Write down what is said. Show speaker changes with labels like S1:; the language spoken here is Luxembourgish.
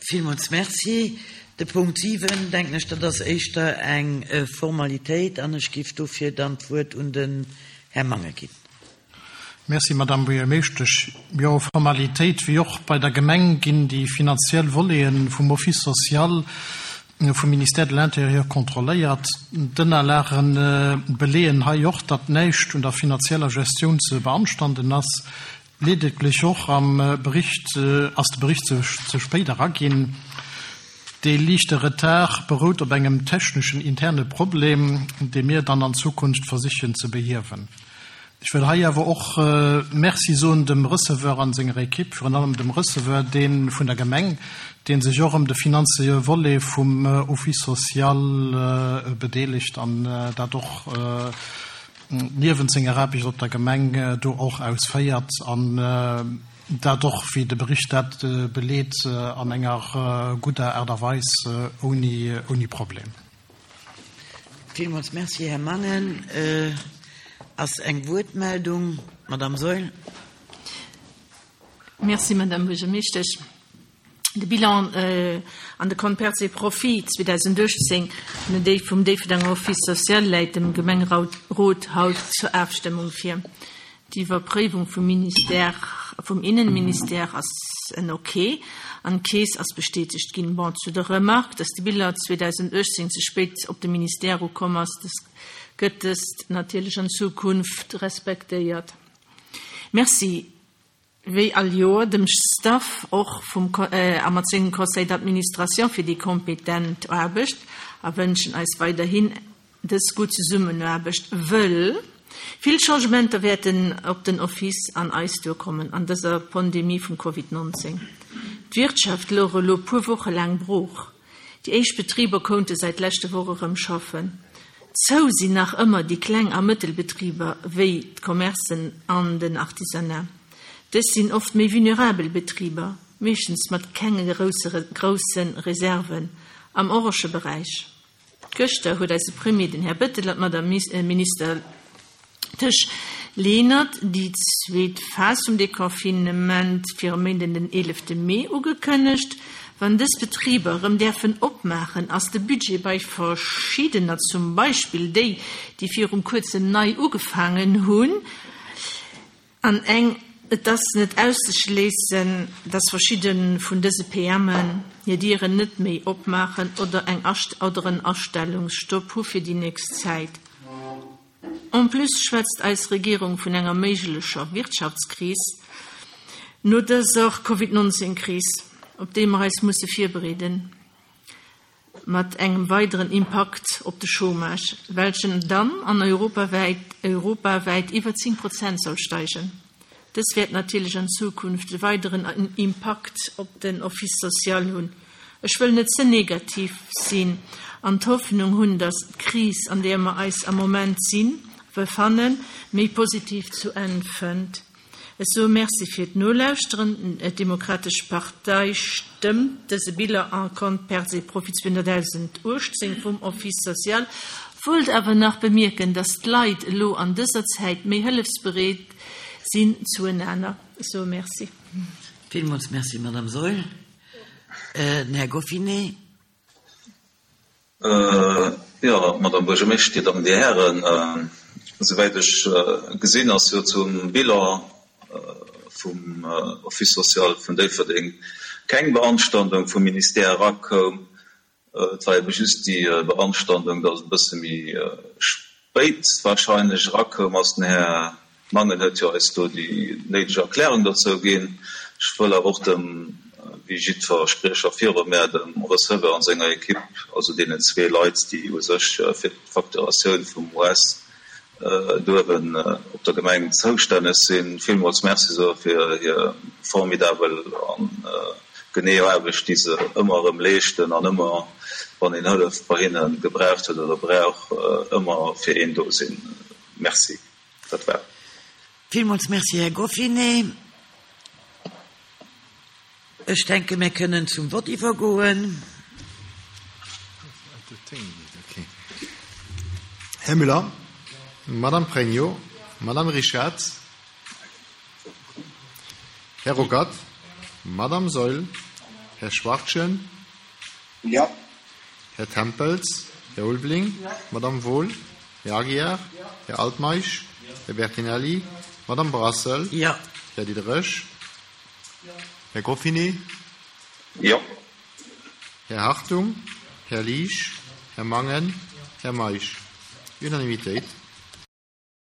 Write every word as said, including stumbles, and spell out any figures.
S1: Villmools Merci. De Punkt siwen, denken ech, dat ass éischter eng Formalitéit an ech géif dofir dann d'Wuert un den Här Mangen ginn.
S2: Merci, Madame Buergermeeschtesch. Jo, Formalitéit, wéi och bei der Gemeng ginn déi finanziell Voleten vum Office social vum Ministère de l'Intérieur kontrolléiert. D'Ënnerlagen beleeën hei och, datt näischt un der finanzieller Gestioun ze beanstanden ass. Ledeglech och am Bericht ass de Bericht ze, ze spéit eraginn. Dee liichte Retard berout op engem techneschen interne Problem, dee mir dann an Zukunft versichen ze behiewen. Ech wëll hei awer och Merci soen dem Receveur an senger Ekipp, virun allem dem Receveur, dee vun der Gemeng, dee sech och ëm de finanzielle Volet vum Office social bedeelegt an dat och niewent senger Aarbecht op der Gemeng do och ausféiert an dat och, wéi de Bericht dat beleet, an enger gudder Aart a Weis ouni, ouni Problem.
S1: Villmools Merci, Här Mangen. Ass eng Wuertmeldung? Madame Saeul.
S3: Merci, Madame Buergermeeschtesch. De Bilan an de Compte pertes et profits zweedausenduechtzéng vum Déifferdenger Office social läit dem Gemengerot haut zur Afstëmmung vir. D'Iwwerpréiwung vum Ministère, vum Innenministère ass en Ok an d'Keess ass bestätegt ginn. Bon, zu der Remarque, dass de Bilan zweedausenduechtzéng ze spéit op de Ministère ukomm ass, dës gëtt dëst natierlech an Zukunft respektéiert. Merci, wéi all Joer, dem Staff och vum a mat sengem Conseil d'administration fir déi kompetent Aarbecht a wënschen eis weiderhin dës gutt Zesummenaarbecht, wëll vill Changementer wäerten op den Office an eis duerkommen an dëser Pandemie vum Covid nonzéng. D'Wirtschaft louch elo puer Woche laang brooch. Déi éischt Betriber konnte säit leschte Woch erëm schaffen. Zou sinn nach ëmmer déi Kleng- a Mëttelbetriber wéi d'Commercen an den Artisanat. Dës sinn oft méi vulnerabel Betriber, meeschtens mat kenge grousse Reserven am orange Beräich. Gëschter huet eise Premier, den Här Bettel, an d'Madame Minister Tesch Lenert déi zweet Phas vum Deconfinement fir e Méinden den eelefte Mee ugekënnegt. Wann dës Betriber erëm däerfen opmaachen, ass de Budget bei verschiddener, zum Beispill déi, déi virum kuerzem nei ugefaangen hunn, an eng, et ass net auszeschléissen, dass verschidde vun dëse P M en hir Dieren net méi opmaachen oder eng oder en Astellungsstopp hu fir déi nächst Zäit. En plus schwätzt eis Regierung vun enger méiglecher Wirtschaftskris no dëser Covid neunzehn Kris, op déi mer eis musse virbereeden, mat engem weideren Impakt op de Chômage, welchen dann an europawäit, europawäit iwwer zéng Prozent soll steigen. Dës wäert natierlech an Zukunft de weideren Impakt op den Office social hunn. Ech wëll net ze negativ sinn an d'Hoffnung hunn, dass d'Kris, an där mer eis am Moment sinn, befannen, méi positiv zu Enn fënnt. Ech soe Merci fir d'Nolauschteren. D'Demokratesch Partei stëmmt dëse Bilan en compte pertes et profits zweehunnertdausenduechtzéng vum Office social, wollt awer nach bemierken, dass d'Leit elo an dëser Zäit méi hëllefsbereet sinn zueinander. Ech soe Merci.
S1: Villmools Merci, Madame Saeul. Den Här Goffinet.
S4: Jo, Madame Buergermeeschter, Dir Dammen, Dir Hären, souwäit ech gesinn, ass jo zum Bilan vum Office social vun Déifferdeng keng Beanstandung vum Ministère erakoum. Et war ebe just déi Beanstandung, dass e bësse méi spéit wahrscheinlech erakoum ass. Den Här Mangen huet jo eis do déi néideg Erklärung dozou ginn. Ech wëll awer och dem, wéi jiddwer Spriecher viru mär, dem Receveur an senger Ekipp, also deenen zwee Leit, déi u sech fir d'Facturatioun vum U S duewen op der Gemeng zoustänneg sinn, villmools Merci soe fir hir formidabel an genee Aarbecht, déi se ëmmer erëm leeschten an ëmmer, wann een Hëllef bei hinne gebraucht huet oder brauch, ëmmer fir een do sinn. Merci. Dat war.
S1: Villmools Merci, Här Goffinet. Ech denke, mir kënnen zum Vott iwwergoen.
S5: Här Müller, Madame Pregno, Madame Richard, Här Ruckert, Madame Saeul, Här Schwartjen?
S6: Ja.
S5: Här Tempels? Här Ulbling?
S2: Ja.
S5: Madame Wohl? Här Aguiar?
S2: Ja.
S5: Här Altmeisch?
S2: Ja.
S5: Här Bertinelli? Madame Brassel?
S1: Ja.
S5: Här Diderich?
S2: Ja.
S5: Här Goffinet?
S4: Ja.
S5: Här Hartung? Här Liesch? Här Mangen? Här Meisch? Unanimitéit.